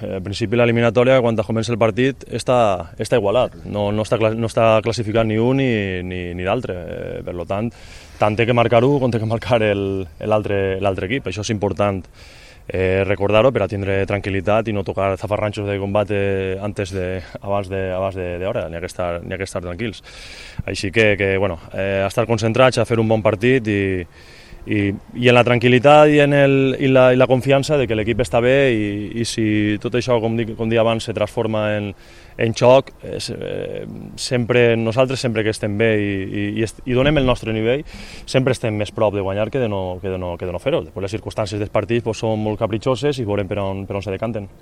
Al principi l'eliminatòria, quan comença el partit, està igualat, no està classificat ni un ni l'altre. Per tant, tant té que marcar un com té que marcar l'altre equip. Això és important recordar-ho per a tindre tranquil·litat i no tocar zafarranxos de combat abans d'hora, n'hi ha que estar tranquils. Així que estar concentrats a fer un bon partit i en la tranquil·litat i la confiança de que l'equip està bé i si tot això, com dic abans, se transforma en xoc, nosaltres sempre que estem bé i donem el nostre nivell, sempre estem més prop de guanyar que de no fer-ho. Després les circumstàncies dels partits són molt capritxoses i veurem per on se decanten.